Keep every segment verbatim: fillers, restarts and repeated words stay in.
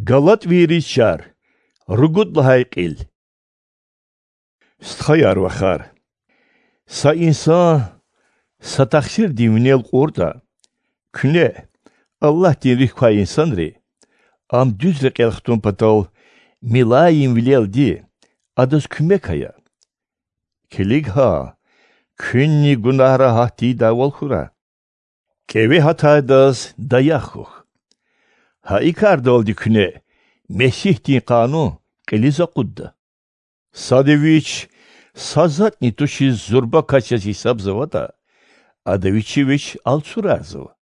Галатвийриз чар. Ругуд лагьай кьил. Стхаяр-вахар, са инсан са тахсирдин винел кьуртӀа, куьне, Аллагьдин руьгь квай инсанри, ам дуьз рекьел хтун патал милаимвилелди адаз куьмек ая. Килиг гьа, куьнни гунагьра гьат тийидайвал хьурай. КӀеве гьатайдаз даях хьухь. Гьа и кардалди куьне Месигьдин къанун кьилиз акъудда. Сада вич са затӀни тушиз зурба кас яз гьисабзаватӀа, ада вичи вич алцурарзава.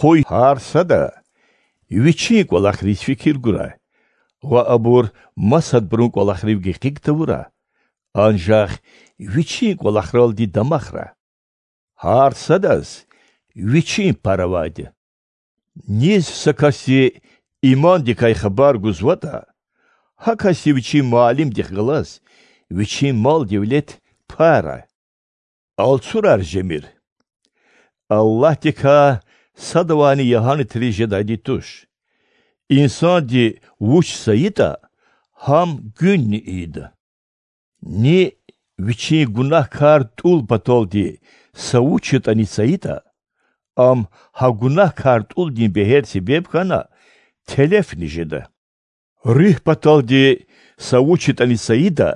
Къуй гьар сада вичин кӀвалахриз фикир гурай ва абур масадбурун кӀвалахрив гекъиг тавурай, анжах вичин кӀвалахралди дамахрай. Гьар садаз вичин пар авайди я. Низ са касди имандикай хабар гузватӀа, гьа касди вичин муаллимдихъ галаз вичин мал-девлет пайрай. Алцурар жемир. Аллагьдикай садавайни ягьанатриз жедайди туш. Инсанди вуч сайитӀа, гьам гуьнни ийида. Ни вичин гунагькар тӀул паталди са вуч ятӀани сайитӀа, ам гьа гунагькар тӀулдин бегьер себеб хьана телефни жеда. Руьгь паталди са вуч ятӀани сайитӀа,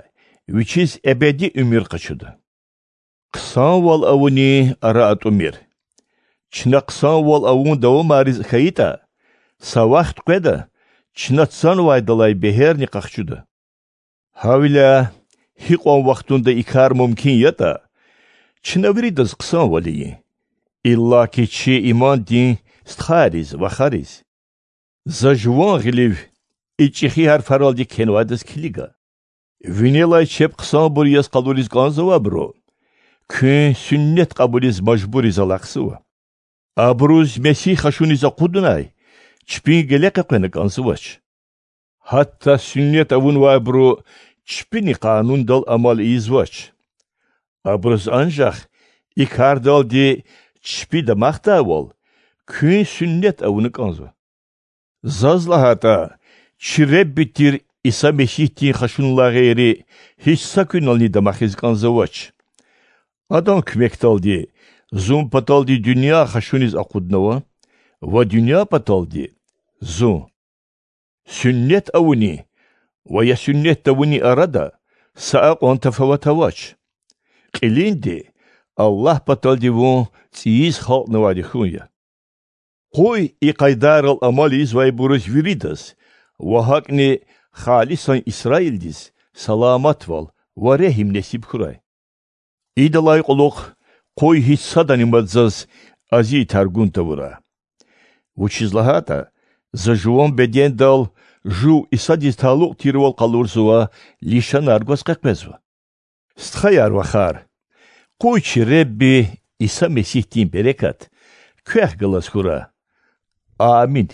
вичиз эбеди уьмуьр къачуда. Хъсанвал авунин ара атӀумир. Чна хъсанвал авун давамариз хьайитӀа, са вахт къведа, чна цанвайдалай бегьерни къахчуда. Гьавиляй гьикьван вахтунда и кар мумкин ятӀа, чна виридаз хъсанвал ийин, иллаки чи имандин стхайриз, вахариз. За жуван гъилив и чӀехи гьарфаралди кхьенвайдаз килига: винелай чеб хъсанбур яз къалуриз кӀанзавайбуру куьн суннат кьабулиз мажбуриз алахъзава. Абуруз Месигь хашуниз акъудунай чпин геле къекъвена кӀанзавач. Гьатта суннат авунвайбуру чпини къанундал амал ийизвач. Абуруз анжах и кардалди чпи дамахдайвал куьн суннат авуна кӀанзава. Заз лагьайтӀа, чи Ребби тир Иса Месигьдин хашунилай гъейри гьич са куьнални дамахиз кӀанзавач. Адан куьмекдалди зун паталди дуьнья хашуниз акъуднава ва дуьнья паталди зун. Суннат авунин ва я суннат тавунин арада са акьван тафават авач. Кьилинди Аллагь паталди вун цӀийиз халкьнавайди хьун я. Къуй и къайдайрал амал ийизвайбуруз виридаз ва гьакӀни халисан Исраилдиз саламатвал ва регьим несиб хьурай. Идалай кьулухъ къуй гьич садани мад заз азиятар гун тавурай. Вучиз лагьайтӀа за жуван бедендал жув Исадиз талукь тирвал къалурзавай лишанар гваз къекъвезва. Стхаяр-вахар, къуй чи Ребби Иса Месигьдин берекат квехъ галаз хьурай. Амин.